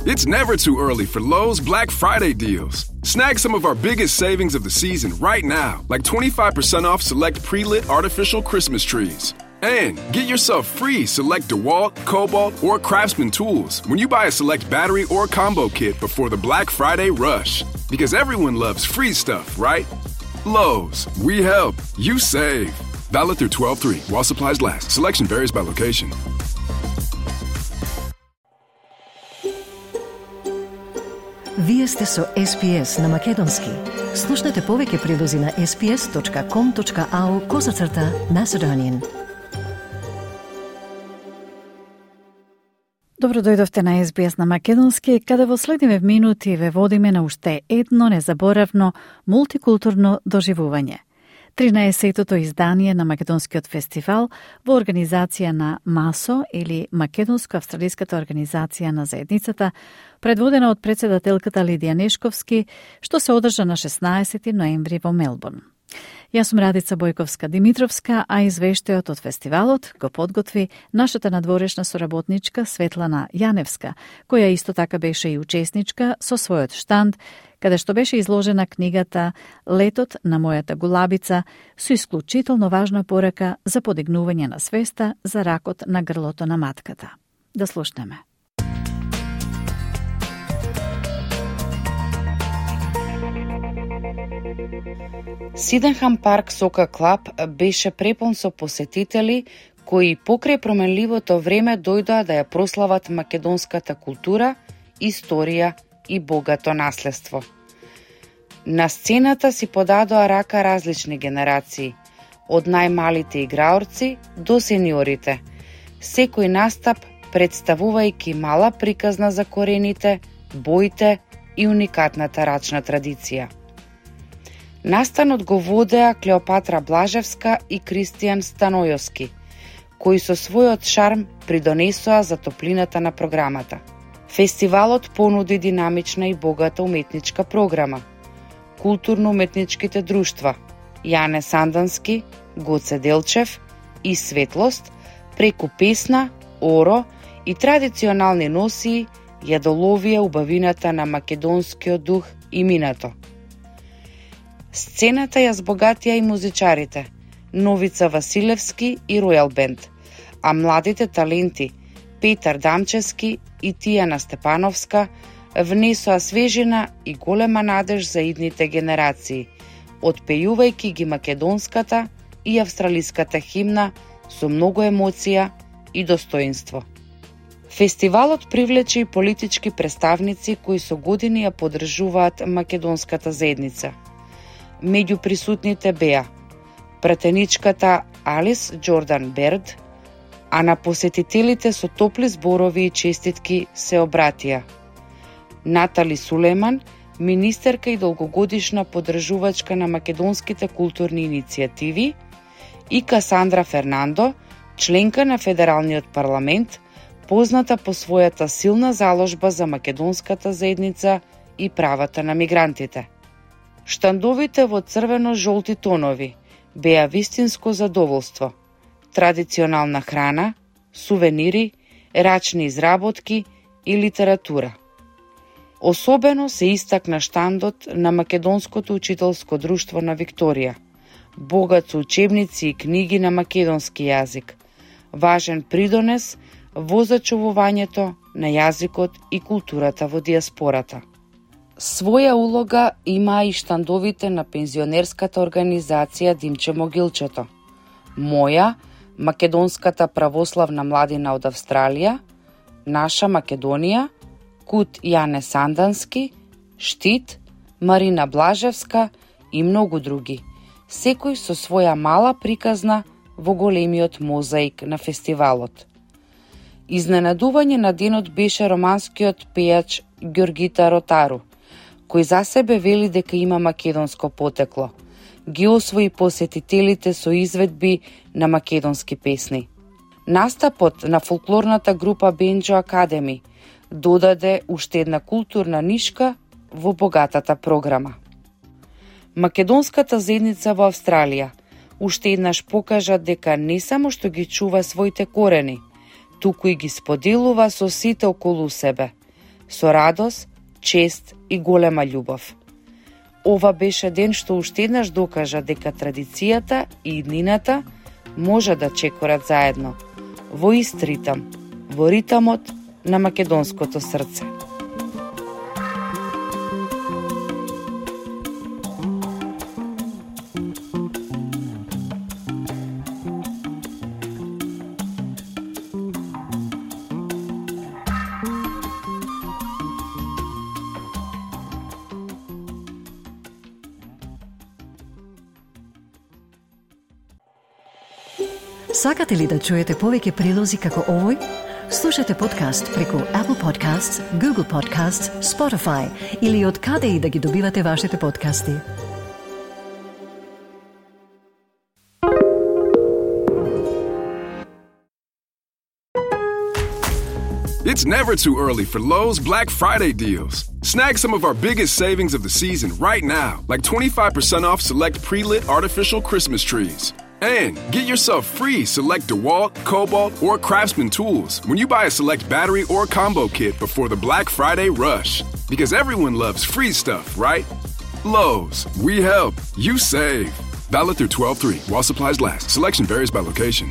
It's never too early for Lowe's Black Friday deals. Snag some of our biggest savings of the season right now, like 25% off select pre-lit artificial Christmas trees. And get yourself free select DeWalt, Cobalt, or Craftsman tools when you buy a select battery or combo kit before the Black Friday rush. Because everyone loves free stuff, right? Lowe's, we help, you save. Valid through 12/3 while supplies last. Selection varies by location. Вие сте со SPS на Македонски. Слушнете повеќе прилози на sps.com.au/Macedonian. Добро дојдовте на SBS на Македонски, каде во следниве минути ве водиме на уште едно незаборавно мултикултурно доживување. 13-тото издание на Македонскиот фестивал во организација на МАСО или Македонско-австралиската организација на заедницата, предводена од председателката Лидија Нешковски, што се одржа на 16 ноември во Мелбурн. Јас сум Радица Бојковска-Димитровска, а извештајот од фестивалот го подготви нашата надворешна соработничка Светлана Јаневска, која исто така беше и учесничка со својот штанд, каде што беше изложена книгата Летот на мојата гулабица, со исклучително важна порака за подигнување на свеста за ракот на грлото на матката. Да слушнеме. Сиденхам парк Сока Клаб беше препун со посетители кои покрај променливото време дојдоа да ја прослават македонската култура, историја и богато наследство. На сцената си подадоа рака различни генерации, од најмалите играорци до сениорите, секој настап представувајќи мала приказна за корените, боите и уникатната рачна традиција. Настанот го водеа Клеопатра Блажевска и Кристијан Станојовски, кои со својот шарм придонесоа за топлината на програмата. Фестивалот понуди динамична и богата уметничка програма. Културно-уметничките друштва Јане Сандански, Гоце Делчев и Светлост преку песна, оро и традиционални носии ја доловија убавината на македонскиот дух и минато. Сцената ја збогатија и музичарите Новица Василевски и Ројал Бенд, а младите таленти Петар Дамчевски и Тијана Степановска внесоа свежина и голема надеж за идните генерации, отпејувајќи ги македонската и австралиската химна со многу емоција и достоинство. Фестивалот привлече и политички представници кои со години ја поддржуваат македонската заедница. Меѓу присутните беа пратеничката Алис Джордан Берд, а на посетителите со топли зборови и честитки се обратија Натали Сулейман, министерка и долгогодишна поддржувачка на македонските културни иницијативи, и Касандра Фернандо, членка на Федералниот парламент, позната по својата силна заложба за македонската заедница и правата на мигрантите. Штандовите во црвено-жолти тонови беа вистинско задоволство. Традиционална храна, сувенири, рачни изработки и литература. Особено се истакна штандот на Македонското учителско друштво на Викторија, богат со учебници и книги на македонски јазик, важен придонес во зачувувањето на јазикот и културата во диаспората. Своја улога има и штандовите на пензионерската организација Димче Могилчето, Моја, Македонската православна младина од Австралија, Наша Македонија, Кут Јане Сандански, Штит, Марина Блажевска и многу други, секој со своја мала приказна во големиот мозаик на фестивалот. Изненадување на денот беше романскиот пејач Ѓоргита Ротару, кој за себе вели дека има македонско потекло. Ги освои посетителите со изведби на македонски песни. Настапот на фолклорната група Бенџо Академи додаде уште една културна нишка во богатата програма. Македонската заедница во Австралија уште еднаш покажа дека не само што ги чува своите корени, туку и ги споделува со сите околу себе, со радост, чест и голема љубов. Ова беше ден што уште еднаш докажа дека традицијата и иднината може да чекорат заедно, во ист ритам, во ритамот на македонското срце. Сакате ли да чуете повеќе прилози како овој? Слушате подкаст преку Apple Podcasts, Google Podcasts, Spotify или од каде и да ги добивате вашите подкасти. It's never too early for Lowe's Black Friday deals. Snag some of our biggest savings of the season right now, like 25% off select pre-lit artificial Christmas trees. And get yourself free select DeWalt, Cobalt, or Craftsman tools when you buy a select battery or combo kit before the Black Friday rush. Because everyone loves free stuff, right? Lowe's, we help, you save. Valid through 12/3 while supplies last. Selection varies by location.